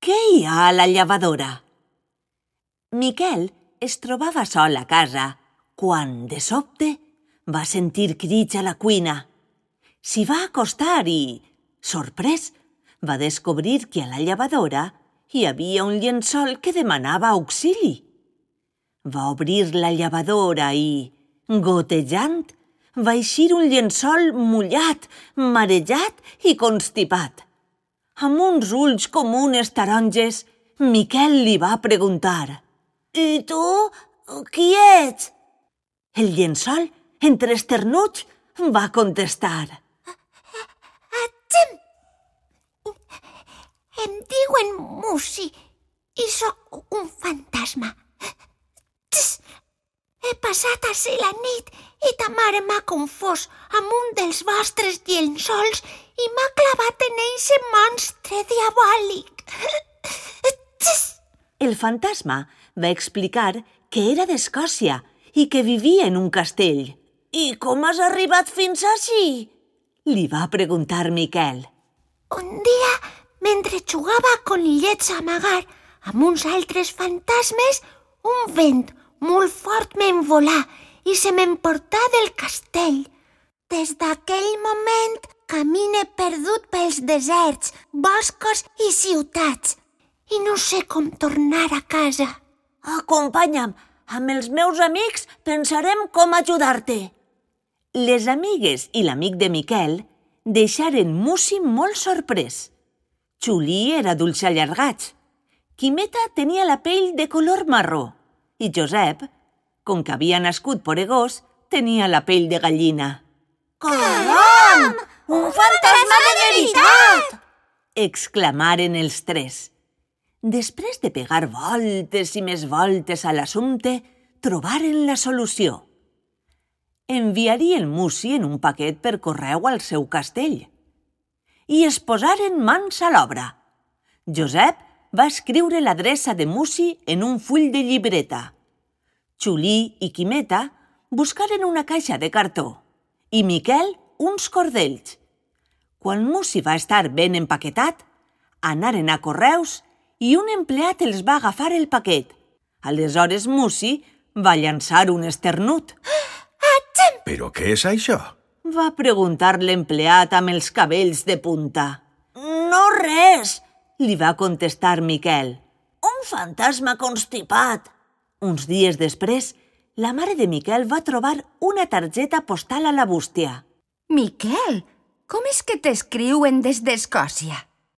Què hi ha a la llevadora? Miquel es trobava sol a casa quan, de sobte, va sentir crits a la cuina. S'hi va acostar i, sorprès, va descobrir que a la llevadora hi havia un llençol que demanava auxili. Va obrir la llevadora i, gotejant, va eixir un llençol mullat, marejat i constipat. Amb uns ulls com unes taronges, Miquel li va preguntar: «I tu, qui ets?» El llençol, entre esternuts, va contestar: Em diuen Musi i sóc un fantasma. He passat ací la nit i ta mare m'ha confós amb un dels vostres llençols i m'ha clavat en eixe monstre diabòlic. El fantasma va explicar que era d'Escòcia i que vivia en un castell. «I com has arribat fins ací?» li va preguntar Miquel. Un dia, mentre jugava a conillets a amagar amb uns altres fantasmes, un vent molt fort m'envolà i se m'emportà del castell. Des d'aquell moment camine perdut pels deserts, boscos i ciutats i no sé com tornar a casa. «Acompanya'm, amb els meus amics pensarem com ajudar-te». Les amigues i l'amic de Miquel deixaren Musi molt sorprès. Xulí era d'ulls allargats, Quimeta tenia la pell de color marró i Josep, com que havia nascut poregós, tenia la pell de gallina. Caram! Un fantasma de veritat! Exclamaren els tres. Després de pegar voltes i més voltes a l'assumpte, trobaren la solució. Enviarien Musi en un paquet per correu al seu castell. I es posaren mans a l'obra. Josep va escriure l'adreça de Musi en un full de llibreta. Xulí i Quimeta buscaren una caixa de cartó i Miquel uns cordells. Quan Musi va estar ben empaquetat, anaren a correus i un empleat els va agafar el paquet. Aleshores Musi va llançar un esternut. «Però què és això?» va preguntar l'empleat amb els cabells de punta. «No res», li va contestar Miquel. «Un fantasma constipat». Uns dies després, la mare de Miquel va trobar una targeta postal a la bústia. Miquel, com és que t'escriuen des d'Escòcia?